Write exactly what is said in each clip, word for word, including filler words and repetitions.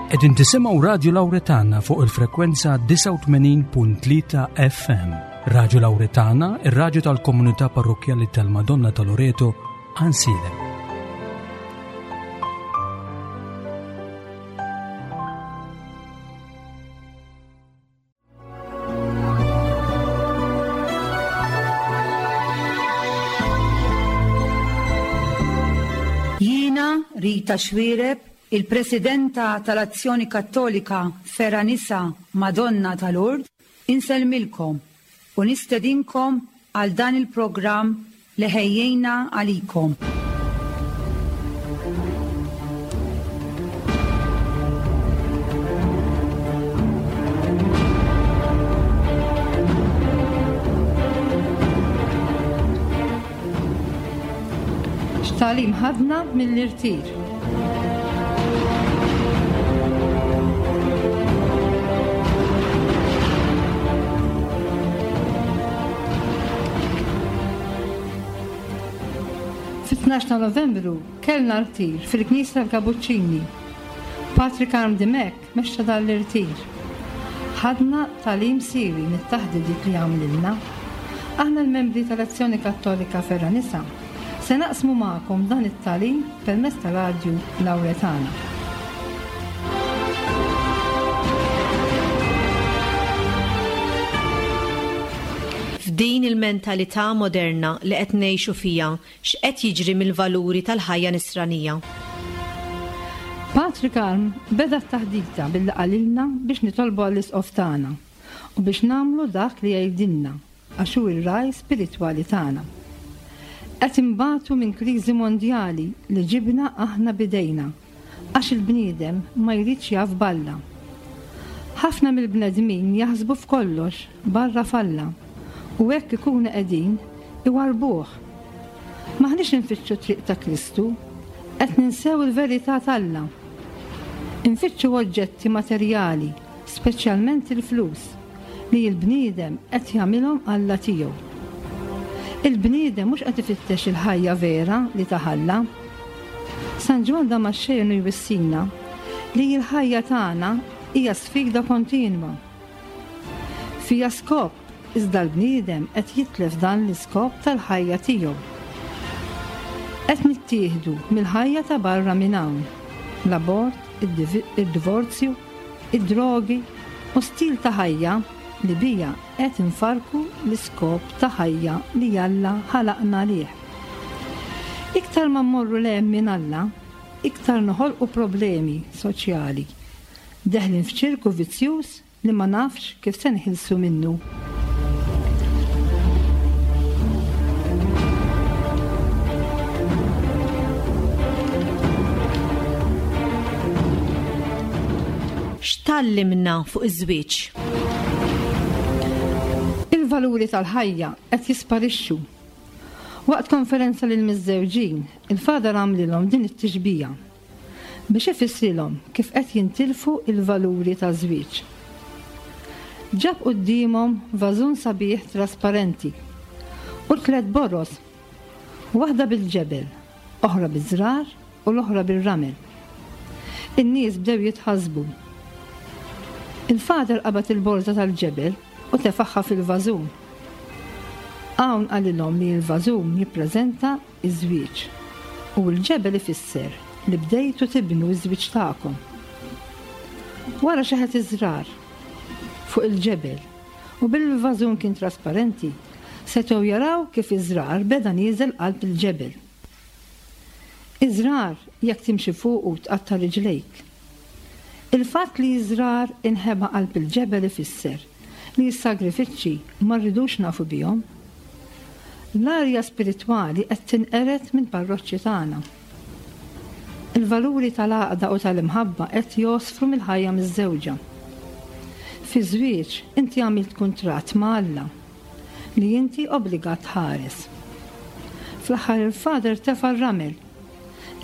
Qegħdin tisimgħu Radio Lauretana fuq il-frekwenza disgħa u tmenin punt tlieta F M. Radio Lauretana, ir-radju tal-Komunità Parrokkjali tal-Madonna ta' Loreto, Għajnsielem. Jiena Rita Xuereb, il-Presidenta tal-Azzjoni Kattolika Fergħa Nisa Madonna tal-Lourdes, insellmilkom u nistedinkom għal dan il-programm li ħejjejna għalikom. X'tagħlim ħadna mill-irtir? Fit-tnax ta' Novembru kellna rtir fil-Knisja tal-Kabuċċini. Patri Karm Dimech mexxa dan l-irtir. Ħadna tagħlim siewi mit-taħdidiet li għamlilna. Aħna l-membri tal-Azzjoni Kattolika Fergħa Nisa se naqsmu magħkom dan it-tagħlim permezz ta' Radju Lauretana. F'din il-mentalità moderna li qed ngħixu fiha, x'qed jiġri mill-valuri tal-ħajja nisranija? Patri Karm beda t-taħdita billi qalilna biex nitolbu għall-isqof tagħna u biex nagħmlu dak li jgħidilna għax hu r-raj spiritwali tagħna. Qed inbatu minn kriżi mondjali li ġibna aħna bidejna għax il-bniedem ma jridx jaf b'Alla. Ħafna mill-bnedmin jaħsbu f'kollox barra f'Alla u hekk ikunu qegħdin iwarbuh. M'aħniex infittxu triq ta' Kristu, qed ninsew il-verità t'Alla. Infittxu oġġetti materjali, speċjalment il-flus, li l-bniedem qed jagħmilhom Alla tiegħu. Il-bniedem mhux qed ifittex il-ħajja vera li taħalla. San Ġwann Damaxxenu jwissina li l-ħajja tagħna hija sfida kontinwa. Fija skop, iżda l-bniedem qed jitlef dan l-iskop tal-ħajja tiegħu. Qed nittieħdu mill-ħajja ta' barra minn hawn, l-abort, id-divi-, id-divorzju, id-drogi u stil ta' ħajja li bija qed infarku l-iskop ta' ħajja li Alla ħalaqna għalih. Iktar ma mmorru 'l hemm minn Alla, iktar noħolqu problemi soċjali, deħlin f'ċirku vizzjuż li ma nafx kif se nħilsu minnu. X'tallimna fuq iż-żwieġ? Il-valuri tal-ħajja qed jisparixxu. Waqt konferenza lil miżżewġin, il-Father għamlilhom din it-tixbija biex ifissrilhom kif qed jintilfu il-valuri taż-żwieġ. Ġab quddiemhom vażun sabiħ trasparenti u tliet boros, waħda bil-ġebel, oħra biż-żrar u l-oħra bir-ramel. In-nies bdew jitħassbu. Il-Father qabad il-borża tal-ġebel u tefaħħa fil-vażun. Hawn qalilhom li l-vażun jippreżenta ż-żwieġ u l-ġebel ifisser li bdejtu tibnu ż-żwieġ tagħkom. Wara xeħet iż-żrar fuq il-ġebel u bil-vażun kien trasparenti, setgħu jaraw kif iż-żrar beda nieżel qalb il-ġebel. Iż-żrar jekk timxi fuqu tqatta' riġlejk. Il-fatt li iż-żrar inħeba qalb il-ġebel ifisser li s-sagrifiċċji ma rridux nafu bihom. L-arja spiritwali qed tinqered minn parroċċi tagħna. Il-valuri tal-għaqda u tal-imħabba qed josfru mill-ħajja miż-żewġa. Fi żwieġ inti għamilt kuntratt ma' Alla li inti obbligat tħares. Fl-aħħar il-Father tefa' r-ramel.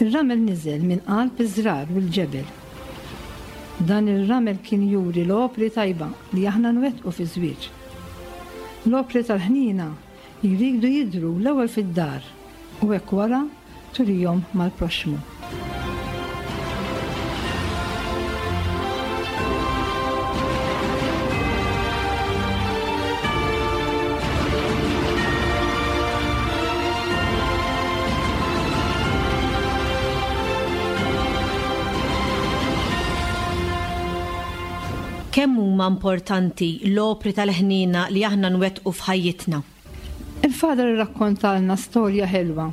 Ir-ramel niżel minn qalb iż-żrar u l-ġebel. Dan ir-ramel kien juri l-opri tajba li aħna nwettqu fi żwieġ. L-opri tal-ħnina jridu jidhru l-ewwel fid-dar u hekk wara turihom mal-proxxmu. Kemm huma importanti l-opri tal-ħniena li aħna nwettqu f'ħajjitna? Il-Father irrakkontalna storja ħelwa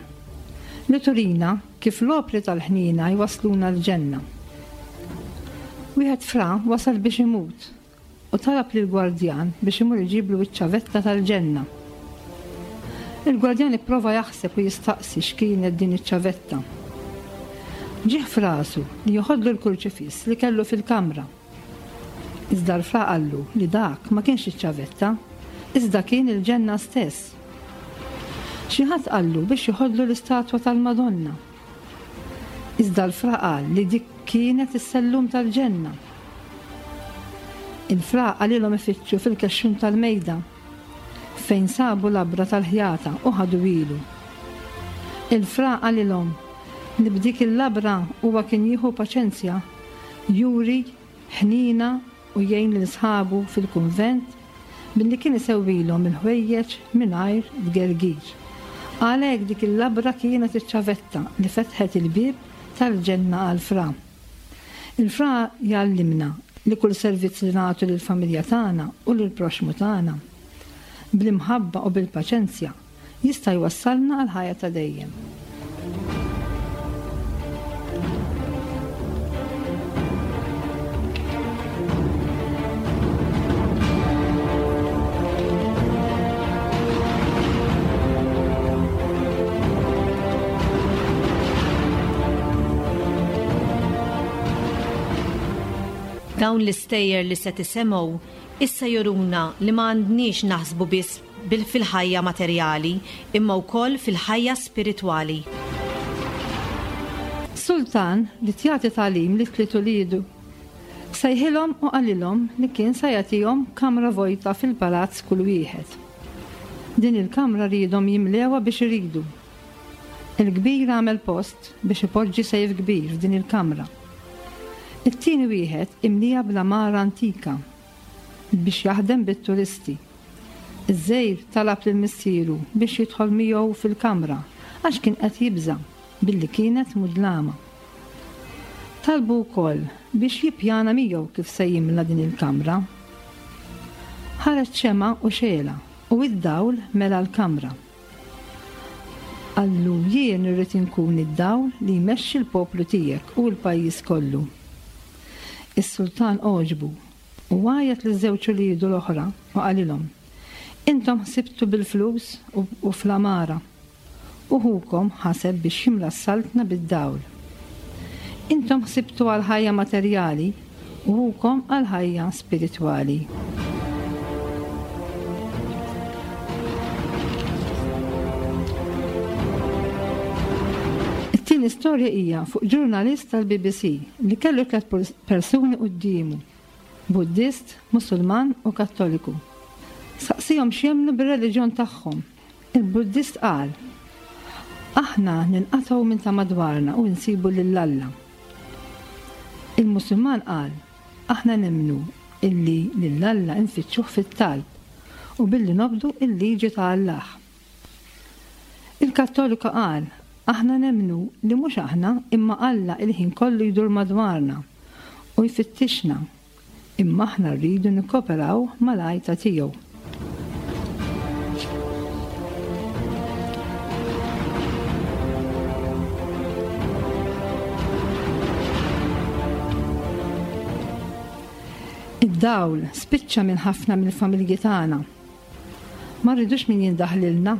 li turina kif l-opri tal-ħniena jwasluna l-ġenna. Wieħed fra wasal biex imut u talab lill-gwardjan biex imur iġiblu iċ-ċavetta tal-ġenna. Il-gwardjan ipprova jaħseb u jistaqsi x'kienet din iċ-ċavetta. Ġieħ f'rasu li joħodlu l-kurċifiss li kellu fil-kamra. Iżda l-fra qallu li dak ma kienx iċ-ċavetta, iżda kien il-ġenna stess. Xi ħadd qallu biex joħodlu l-istatwa tal-Madonna. Iżda l-fra qal li dik kienet is-sellum tal-ġenna. Il-fra qalilhom ifittxu fil-kexxun tal-mejda fejn sabu labra tal-ħjata u ħadu ilu. Il-fra qalilhom li b'dik il-labra huwa kien jieħu paċenzja, juri ħnina u jgħin lil sħabu fil-kunvent billi kien isewwilhom il-ħwejjeġ mingħajr tgergir. Għalhekk dik il-labra kienet iċ-ċavetta li fetħet il-bieb tal-ġenna għall-fra. Il-fra jgħallimna li kull servizz li nagħtu lill-familja tagħna u lill-proxxmu tagħna bl-imħabba u bil-paċenzja jista' jwassalna għal ħajja ta' dejjem. Dawn l-istejjer li se tisemgħu issa juruna li ma għandniex naħsbu biss fil-ħajja materjali imma wkoll fil-ħajja spiritwali. Sultan li tjagħti tagħlim li tliet uliedu. Sejħilhom u qalilhom li kien se jagħtihom kamra vojta fil-palazz kull wieħed. Din il-kamra riedhom jimlewha biex iridu. Il-kbir għamel post biex ipoġġi sejf kbir f'din il-kamra. It-tieni wieħed imlija bl-għamara antika biex jaħdem bit-turisti. Iż-żgħir talab lil missieru biex jidħol miegħu fil-kamra għax kien qed jibża' billi kienet mudlama. Talbu wkoll biex jippjana miegħu kif se jimla din il-kamra. Ħareġ xemgħa u xela u id-dawl mela l-kamra. Qallu jien irrid inkun id-dawl li jmexxi l-poplu tiegħek u l-pajjiż kollu. Is-sultan għoġbu u għajat liż-żewġ uliedu l-oħra u qalilhom: Intom ħsibtu bil-flus u, u fl-għamara, u ħukom ħaseb biex jimla s-saltna bid-dawl. Intom ħsibtu għal ħajja materjali u ħukom għal ħajja spiritwali. It-tieni storja hija fuq ġurnalist tal-B B C li kellu tliet persuni quddiemu, Buddist, Musulman u Kattoliku. Saqsihom x'jemmnu bir-reliġjon tagħhom. Il-Buddist qal: Aħna ninqatgħu minn ta' madwarna u nsibu lil Alla. Il-Musulman qal: Aħna nemmnu illi lil Alla nfittxuh fit-talb u billi nobdu il-liġi ta' Allah. Il-Kattoliku qal: Aħna nemmnu li mhux aħna imma Alla il-ħin kollu jdur madwarna u jfittixna, imma aħna rridu nikkoperaw mal-għajta tiegħu. Id-dawl spiċċa minn ħafna mill-familji tagħna. Ma rridux min jindaħlilna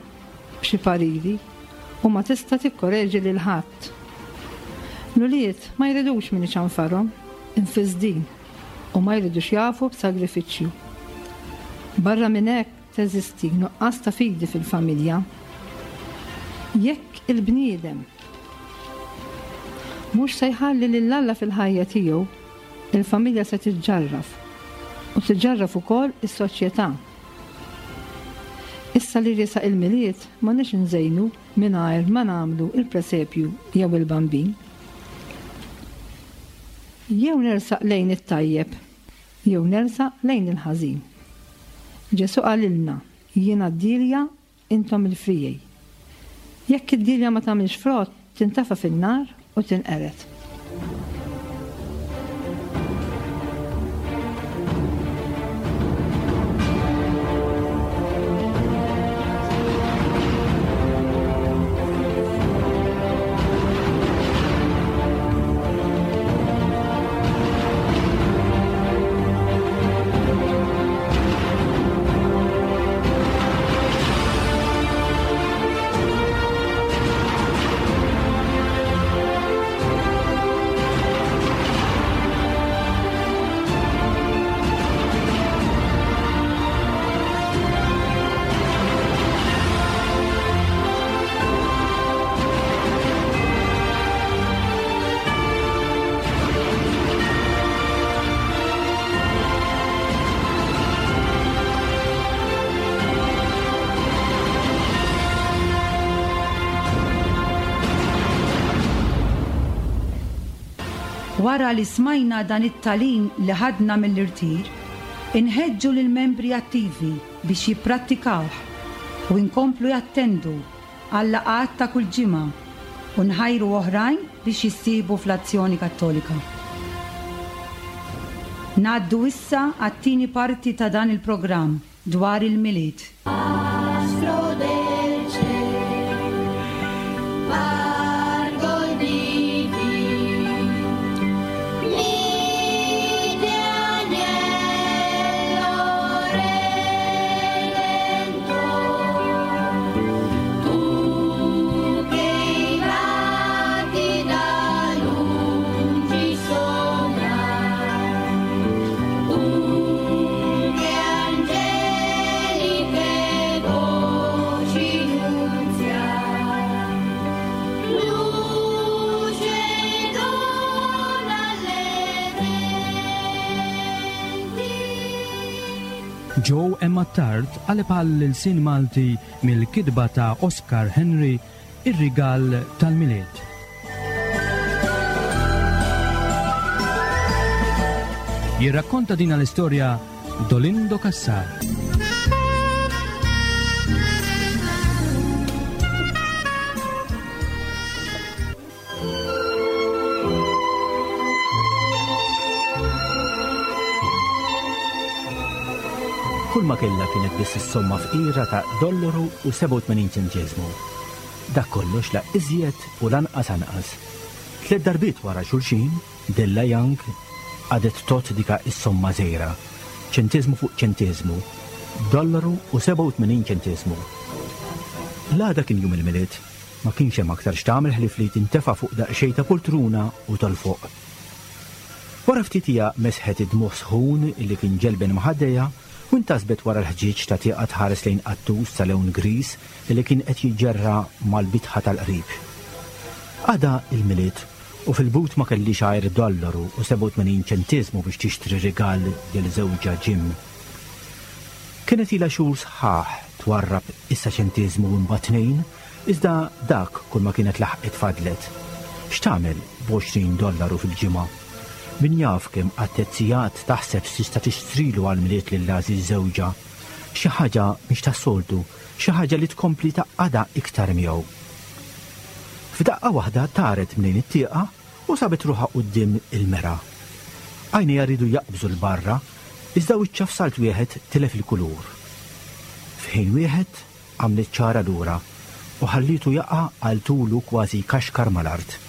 b'xi pariri u ma tista' tikkoreġi lil ħadd. L-ulied ma jridux min iċanfarhom, infisdin, u ma jridux jafu b'sagrifiċċju. Barra minn hekk teżisti nuqqas ta' fidi fil-familja. Jekk il-bniedem mhux se jħalli lil Alla fil-ħajja tiegħu, il-familja se tiġġarraf u tiġġarraf ukoll is-soċjetà. Issa li riesaq il-Milied ma nix nżejnu mingħajr ma nagħmlu il-presepju jew il-bambin. Jew nersaq lejn it-tajjeb, jew nersaq lejn il-ħażin. Ġesu qalilna, jiena d-dilja, intom il-frijej. Jekk id-dilja ma tagħmilx frott, tintafa fin-nar u tinqered. Wara li smajna dan it-tagħlim li ħadna mill-irtir, inħeġġu lill-membri attivi biex jipprattikawh u nkomplu jattendu għal-laqgħat ta' kull ġimgħa u nħajru oħrajn biex jissieħbu fl-Azzjoni Kattolika. Ngħaddu issa għat-tieni parti ta' dan il-programm dwar il-Milied. Astro del ciel, pargol divin, mite agnello redentor, tu che i vati da lungi sognar, tu che angeliche voci nunziar, luce dona alle menti. Joe Emma Tart qaleb għall-ilsien Malti mill-kitba ta' Oscar Henry, Ir-Rigal tal-Milied. Jirrakkonta din l-istorja Dolindo Cassar. Kull ma kellha kienet biss is-somma fqira ta' dollaru u sebgħa u tmenin ċenteżmu. Dak kollox la iżjed u lanqas anqas. Tliet darbiet wara xulxin, Della Young għadet tot dika is-somma żgħira, ċenteżmu fuq ċenteżmu, dollaru u sebgħa u tmenin ċenteżmu. L-għada kien jum il-Milied, ma kienx hemm aktar x'tagħmel ħlief li tintefa' fuq daqsxejn ta' poltruna u tolfoq. Wara ftit hija mesħet id-dmugħ sħun illi kien ġelben maħaddejja u intasbet wara l-ħġieġ ta' tieqa tħares lejn qattus ta' lewn gris illi kien qed jiġġerra mal-bitħa tal-qrib. Għada il-Milied u fil-but ma kellix għajr dollaru u sebgħa u tmenin ċenteżmu biex tixtri rigal lil żewġha Jim. Kienet ilha xhur sħaħ twarrab issa ċenteżmu u mbagħad tnejn, iżda dak kull ma kienet laħqet fadlet. X'tagħmel b'għoxrin dollaru fil-ġimgħa? Min jaf kemm għat-tezzijat taħseb tista' tixtrilu għall-Milied lil għażiż żewġha. Xi ħaġa mhix tas-soltu, xi ħaġa li tkompli taqgħadha iktar miegħu. F'daqqa waħda taret minn it-tieqa u sabet ruħha quddiem il-mera. Għajnejha rridu jaqbżu l-barra, iżda wiċċha f'salt wieħed tilef il-kulur. F'ħin wieħed għamlet ċara lura u ħallitu jaqa' għal tulu kważi kaxkar mal-art.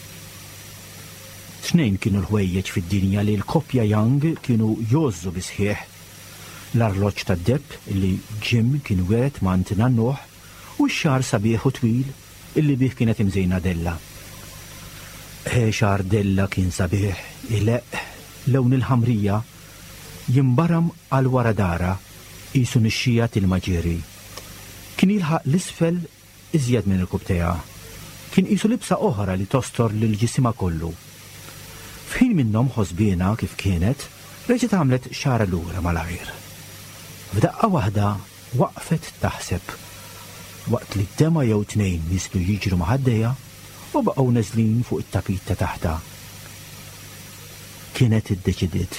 Tnejn kienu l-ħwejjeġ fid-dinja li l-koppja Young kienu jgħożżu bisħieħ. L-arloġġ tad-deheb li Jim kien wiret ma' nannuh u x-xagħar sabiħ u twil illi bih kienet imżejna Della. Eh, xagħar Della kien sabiħ, ileq, lewn il-ħamrija, jimbaram għal wara dara, qisu nixxija til-maġieri. Kien jilħaq l-isfel iżjed minn il-kubtejha. Kien qisu libsa oħra li tostor lil ġisima kollu. F'ħin minnhom ħosbiena kif kienet, reġgħet għamlet xagħarha lura malajr. F'daqqa waħda waqfet taħseb, waqt li d-dema jew tnejn niżlu jiġru ma' ħaddejha u baqgħu neżlin fuq it-tapit ta' taħta. Kienet iddeċidiet.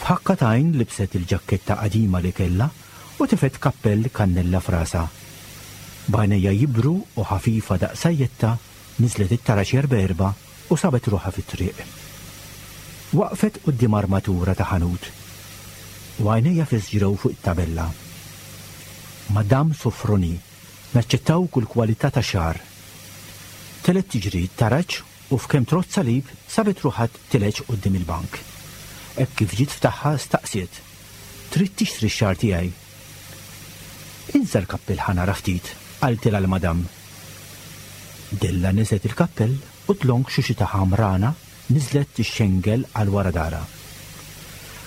F'ħakka t'għajn libset il-ġaketta qadima li kellha u tifet kappell kannella f'rasha. B'għajnejha jibru u ħafifa daqsajjetta niżlet it-taraġ erba' erba' u sabet ruħha fit-triq. Waqfet quddiem armatura ta' ħanut u għajnejha fisġrew fuq it-tabella. Madame Sofroni, naċċettaw kull kwalità ta' xagħar. Telet tiġri t-taraġ u f'kemm trott salib sabet ruħha tileġ quddiem il-bank. Hekk kif ġiet ftaħħa staqsiet: Trid tixtri x-xagħar tiegħi? Insa l-kappell ħa nara ftit, qaltilha l-madam. Della niżet il-kappell u dlonk xuxita ħamrana niżlet tixxengel għal wara dara.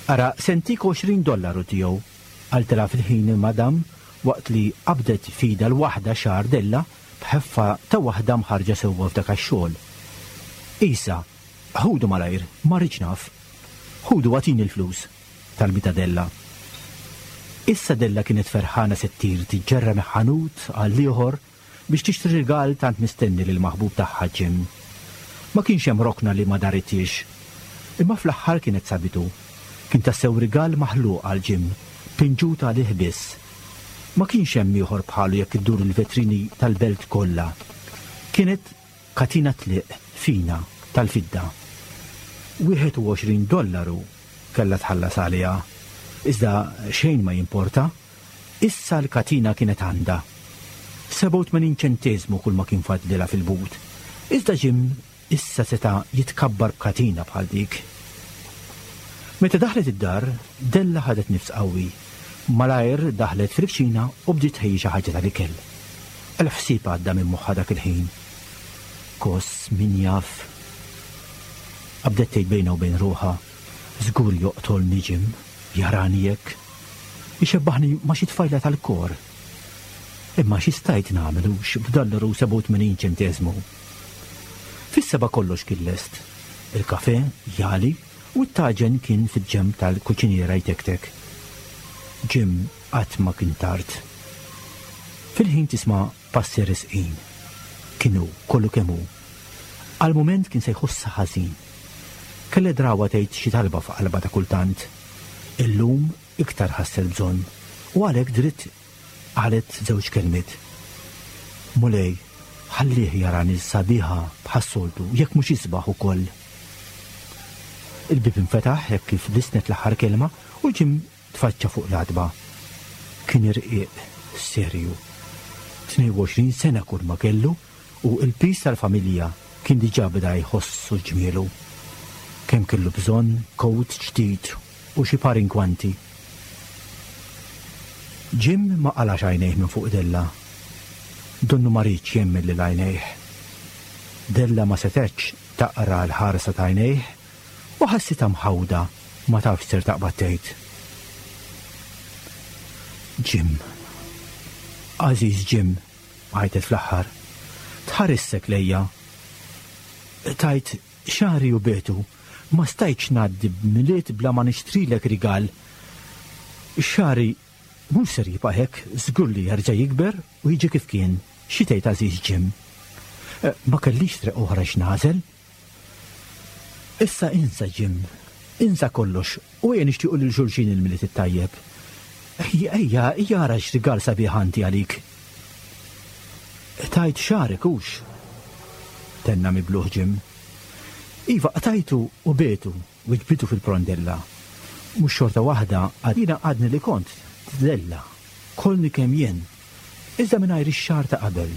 Ara, sentik għoxrin dollaru tiegħu, qaltilha fil-ħin il-madam waqt li qabdet fida l-waħda xagħar Della b'ħeffa ta' waħda mħarġa sewwa f'dak ix-xogħol. Isa, ħudu malajr, ma rridx naf. Ħudu għatini l-flus, talbita Della. Issa Della kienet ferħana se ttir tiġġerra meħanut għal ieħor biex tixtri rigal tant mistenni lil maħbub tagħha Jim. Ma kienx hemm rokna li ma daritiex. Imma fl-aħħar kienet sabitu. Kien tassew rigal maħluq għal Jim, pinġut għalih biss. Ma kienx hemm ieħor bħalu jekk iddur il-vetrini tal-belt kollha. Kienet katina tliq fina tal-fidda. Wieħed u għoxrin dollaru kellha tħallas għaliha. Iżda xejn ma jimporta, issa l-katina kienet għandha. Sebgħa u tmenin ċenteżmu kull ma kien fadlilha fil-but. Iżda Jim issa seta' jitkabbar b'katina bħal dik. Meta daħlet id-dar, Della ħadet nifs qawwi. Malajr daħlet fil-kċina u bdiet tħejji xi ħaġa tal-ikel. Elf ħsieb għadda minn moħħha dak il-ħin. Kos min jaf. Qabdet tgħid bejnha u bejn ruħha, żgur joqtolni Jim, jarani hekk. Ixebbaħni ma' xi tfajla tal-kor. Imma xi stajt nagħmel hux b'dollaru sebgħa u tmenin ċenteżmu. Fis-seba' kollox kien lest. Il-kafe jali u t-taġen kien fil-ġenb tal-kuċiniera jtektek. Jim qatt ma kien tard. Fil-ħin tisma' passi resqin. Kienu kollu kemm hu. Għal mument kien se jħossha ħażin. Kellha drawa tgħid xi talba f'qalba ta' kultant. Illum iktar ħasset bżonn u għalhekk dritt qalet żewġ kelmiet. Mulej, ħallih jarani sabiħa bħas-soltu, jekk mhux isbaħ ukoll. Il-bib infetaħ hekk kif lisnet l-aħħar kelma u Jim tfaċċa fuq l-għatba. Kien irqiq, serju. Tnejn u għoxrin sena kull ma kellu u l-pis tal-familja kien diġà beda jħossu ġmielu. Kemm kellu bżonn kowt ġdid u xi par inkwanti. Jim ma qalax għajnejh minn fuq Della. Donnu ma riedx jemmen lil għajnejh. Della ma setgħetx taqra l-ħarsa ta' għajnejh u ħassitha mħawda ma tafx ser taqbad tgħid. Jim, għażiż Jim, għajtet fl-aħħar, tħarissek lejja. Tajt xari u betu, ma stajtx ngħaddi b'Milied bla ma nixtrilek rigal. Xari mhux ser jibqa' hekk, żgur li jerġa' jikber u jiġi kif kien. Xi tgħid għażiż Jim? Eh, ma kellix triq oħra x'nagħżel. Issa insa Jim, insa kollox u ejja nixtiequ lil xulxin il-Milied it-tajjeb. Ejja, ejja, ejja ara x'rigal sabiħ għandi għalik. Tajt xarek hux? Tenna mibluħ Jim. Iva, qtajtu u betu u ġbitu fil-prondella. Mhux xorta waħda għadina għadni li kont Della, kollni kemm jien, iżda mingħajr ix-xagħar ta' qabel.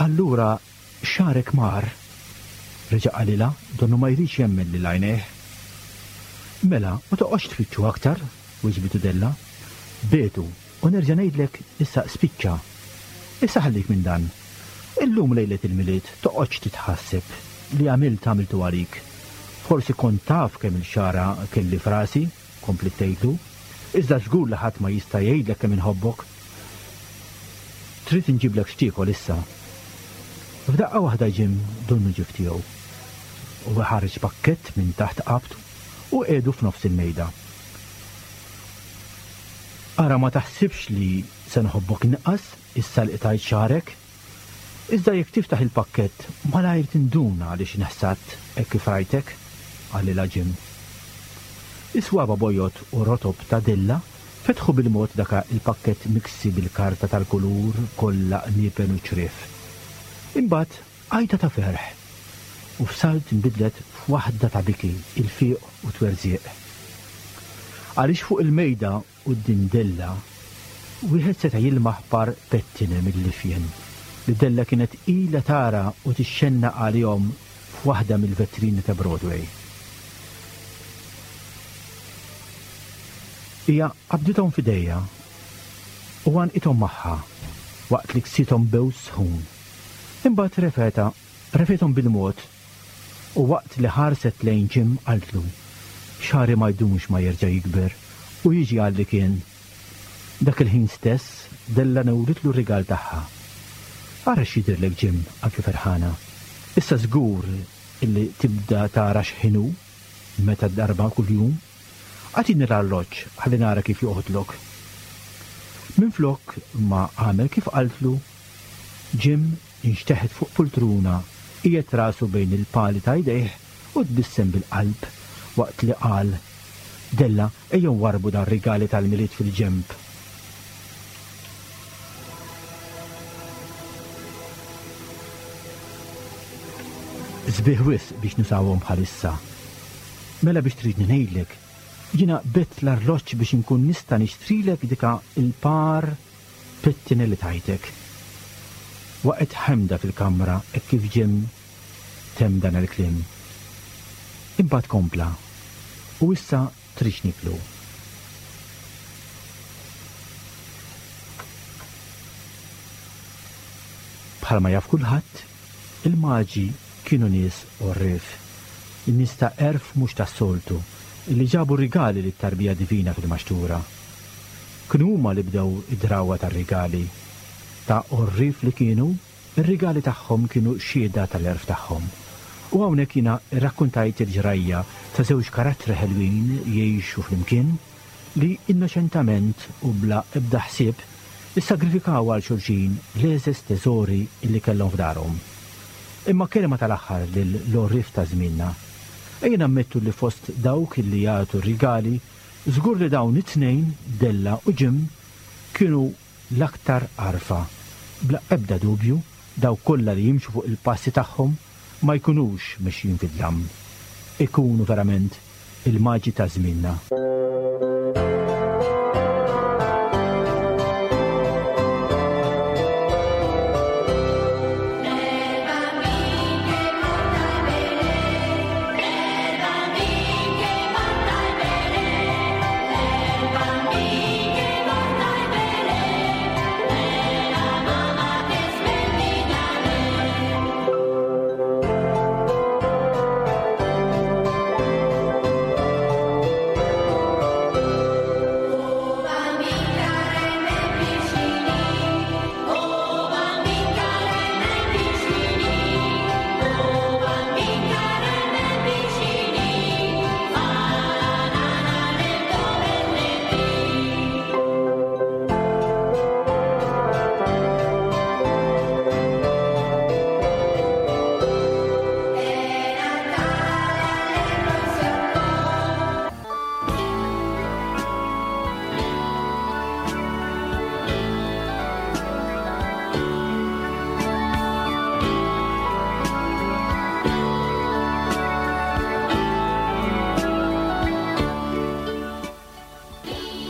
Allura xagħrek mar, reġa' qalilha, donnu ma jridx jemmen lil għajnejh. Mela, ma toqgħodx tfittxu aktar, wiġbitu Della. Betu, u nerġa' ngħidlek issa spiċċa. Issa ħallik minn dan. Illum lejlet il-Milied toqgħodx titħasseb li għamilt għamiltu għalik. Forsi kont taf kemm il-xara kelli frasi, kompli tgħidlu, iżda żgur li ħadd ma jista' jgħidlek kemm inħobbok. Trid inġiblek x'tiekol issa. F'daqqa waħda Jim donnu ġif tiegħu. U ħareġ pakkett minn taħt qabtu u qiegħdu f'nofs il-mejda. Ara ma taħsibx li se nħobbok inqas issa li qtajt xagħrek. Iżda jekk tiftaħ il-pakkett malajr tinduna għaliex inħsadt hekk kif rajtek, qalilha Jim. Is-swaba bojod u rotob ta' Della fetħu bil-mod daka il-pakkett miksi bil-karta tal-kulur kollha qniepen u ċriev. Imbagħad għajta ta' ferħ u f'salt inbidlet f'waħda ta' biki, il-fiq u twerżieq. Għaliex fuq il-mejda quddiem Della wieħed seta' jilmaħ par pettine mill-lifjen li Della kienet ilha tara u tixxennaq għalihom f'waħda mill-vetrini ta' Broadway. Hija qabdithom f'idejha u għanqithom magħha waqt li ksithom bews sħun. Imbagħad refeta, refethom bil-mod u waqt li ħarset lejn Jim qaltlu, xagħri ma jdumx ma jerġa' jikber u jiġi għal li kien. Dak il-ħin stess Della newritlu r-rigal tagħha. Ara x'jidhirlek Jim, qaltlu ferħana. Issa żgur illi tibda tara x'ħinu meta darba kuljum. Agħtini l-arloġġ ħalli nara kif joqgħodlok. Minflok ma għamel kif qaltlu, Jim inxteħet fuq poltruna Qiegħed rasu bejn il-pali ta' jdejh u tbissem bil-qalb waqt li qal: Della, ejjew warbu dan rigali tal-Milied fil-ġenb. Sbieħ wisq biex nusawhom bħalissa. Mela biex tridni ngħidlek, jiena bett l-arloġġ biex inkun nista' nixtrilek dika il-par pettine li tajtek. Waqgħet ħemda fil-kamra hekk kif Jim temm dan il-kliem. Imbagħad kompla, u issa tridx niklu. Bħalma jaf kulħadd, il-maġi kienu nies għorrief, in-nies ta' għerf mhux tas-soltu, illi ġabu rigali lit-tarbija divina fil-maxtura. Kienu huma li bdew id-drawwa tar-rigali. Ta' għorrief li kienu, ir-rigali tagħhom kienu xhieda tal-għerf tagħhom. U hawnhekk jiena rrakkuntajt il-ġrajja ta' żewġ karattri ħelwin jgħixu flimkien li innoċentament u bla ebda ħsieb issagrifikaw għal xulxin l-eżes teżori li kellhom f'darhom. Imma kelma tal-aħħar lil l-għorrief ta' żmienna. Ejja nammettu li fost dawk li jagħtu rigali, żgur li dawn it-tnejn, Della u Jim, kienu l-aktar għarfa. Bla ebda dubju, dawk kollha li jimxu fuq il-passi tagħhom ma jkunux mexjin fid-dlam. Ikunu verament il-maġi ta' żmienna.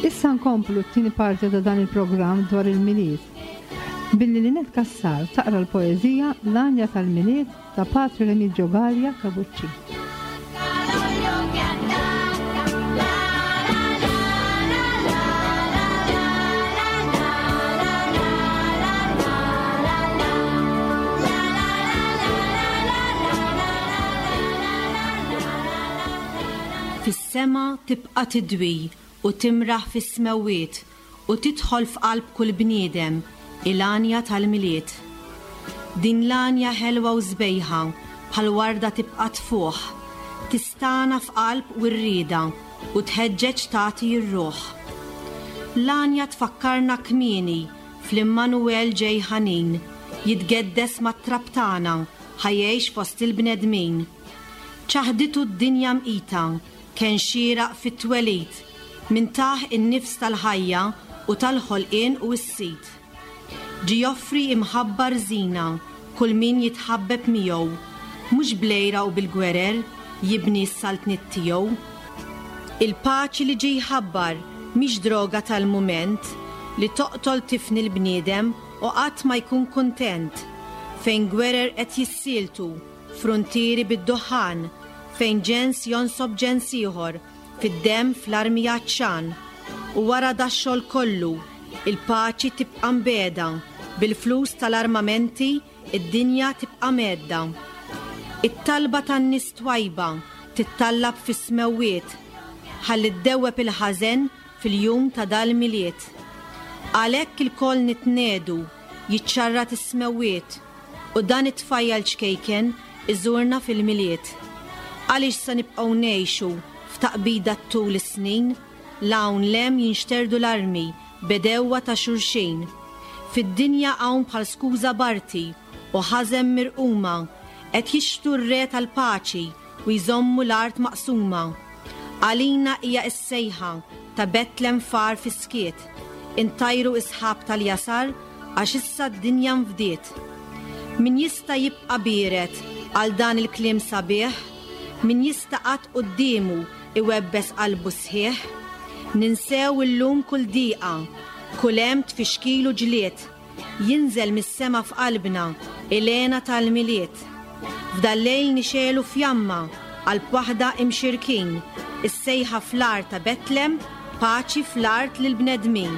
Issa nkomplu t-tieni parti ta' dan il-programm dwar il-Milied. Billi Lynette Cassar taqra l-poeżija L-Għanja tal-Milied ta' Patri Remigio Galea Cavucci. Fis-sema tibqa' tidwi u timraħ fis-smewwiet u tidħol f'qalb kull bniedem il-għanja tal-Milied. Din l-għanja ħelwa u sbejħa bħal warda tibqa' tfuħ, tistana f'qalb u rrieda u tħeġġeġ tagħti r-ruħ. L-għanja tfakkarna kmieni fl-Immanuel ġej ħanin, jitgeddes mat-trab tagħna ħajjejx fost il-bnedmin. Ċaħditu d-dinja mqita, kien xieraq fit-twelid, min taħ in-nifs tal-ħajja u tal-ħolqien u s-sit. Ġi joffri imħabba rżina kull min jitħabbeb miegħu, mhux blejra u bil-gwerer jibni s-saltniet tiegħu. Il-paċi li ġi jħabbar mhix droga tal-mument li toqtol tifni l-bniedem u qatt ma jkun kuntent, fejn gwerer qed jissieltu, frontieri bid-duħħan, fejn ġens jonsob ġens ieħor fid-demm fl-armi għatxan. U wara dax-xogħol kollu, il-paċi tibqa' mbeda, bil-flus tal-armamenti id-dinja tibqa' medda. It-talba tan-nies twajba tittallab fis-smewwiet, ħalli ddewweb il-ħażen fil-jum ta' dal-Milied. Għalhekk ilkoll nitnedu, jiċċarrat is-smewwiet, u dan it-tfajjal ċkejken iżurna fil-Milied. Għaliex sa nibqgħu ngħixu f'taqbida tul is-snin, l-hawn lem jinxterdu l-armi bedewwa ta' xulxin. Fid-dinja hawn bħal skuża barti u ħażen mirquma, Qed jixtu r-re tal-paċi u jżommu l-art maqsuma. Għalina hija s-sejħa ta' Betlem far fis-skiet. Intajru isħab tal-jasar għax issa d-dinja nfdiet. Min jista' jibqa' biered għal dan il-kliem sabiħ, min jista' qatt quddiemu iwebbes qalbu sħiħ, ninsew illum kull diqa, kull hemm tfixkilu ġlied, jinżel mis-sema f'qalbna il-hena tal-Milied. F'dal-lejl nixegħlu fjamma qalb waħda imxirkin, is-sejħa fl-art ta' Betlem, paċi fl-art lill-bnedmin.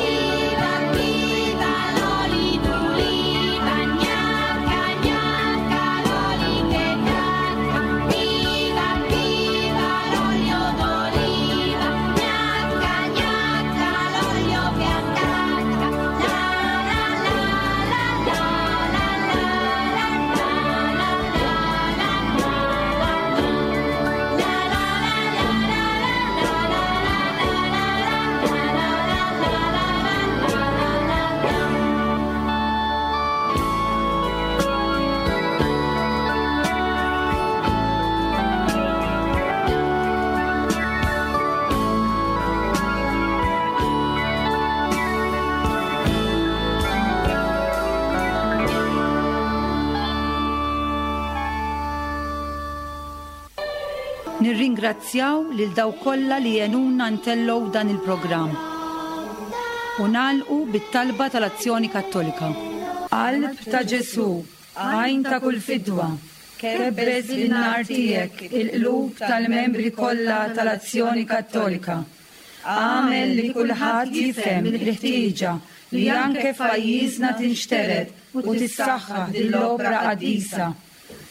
Viva, viva l'oli d'oliva, gnacca, gnacca, l'oli che gnacca. Viva, viva l'olio d'oliva, gnacca, gnacca, l'olio che attacca. La la la la la la la la la la la la Nirringrazzjaw lil dawk kollha li għenuna ntellgħu dan il-programm. U nagħlqu bit-talba tal-Azzjoni Kattolika. Qalb ta' Ġesù, għajn ta' kull fidwa, kebbes bin-nar tiegħek il-qlub tal-membri kollha tal-Azzjoni Kattolika. Agħmel li kulħadd jifhem il-ħtieġa li anke f'pajjiżna tinxtered u tissaħħaħ din l-opra qaddisa.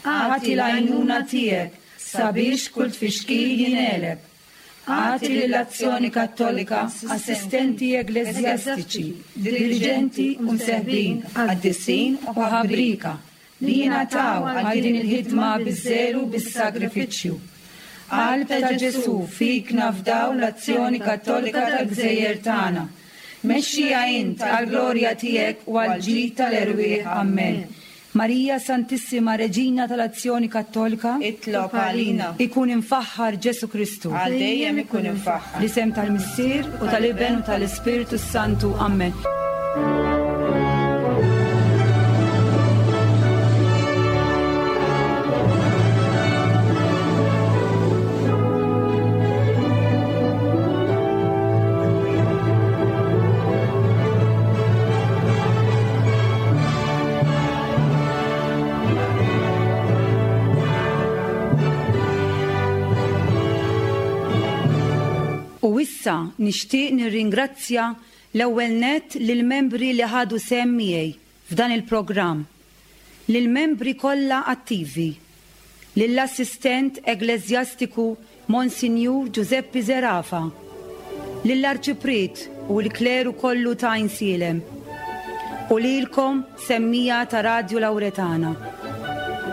Agħti l-għajnuna tiegħek sabiex kull tfixkil jingħeleb. Agħti lill-Azzjoni Kattolika assistenti ekleżjastiċi, diriġenti u mseħbin, qaddisin u ħabrika li jingħataw għal din il-ħidma biż-żelu bis-sagrifiċċju. Qalb ta' Ġesù, fik nafdaw l-Azzjoni Kattolika tal-Gżejjer tagħna. Mexxija int għall-glorja tiegħek u għall-ġid tal-erwieħ. Amen. Marija Santissima Reġina tal-Azzjoni Kattolika, Itlob għalina. Ikun imfaħħar Ġesù Kristu. Għal dejjem ikun imfaħħar. L-isem tal-Missier u tal-Iben u tal-Ispirtu Santu. Amen. U issa nixtieq nirringrazzja l-ewwel nett lill-membri li ħadu sehem miegħi f'dan il-programm, lill-membri kollha attivi, lill-assistent ekleżjastiku Monsinjur Giuseppe Zerafa, lill-arċipriet u l-kleru kollu ta' Għajnsielem, u lilkom semmija ta' Radju Lawretana.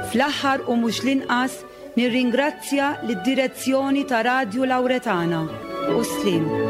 Fl-aħħar u mhux l-inqas nirringrazzja lid-direzzjoni ta' Radju Lawretana. U slim.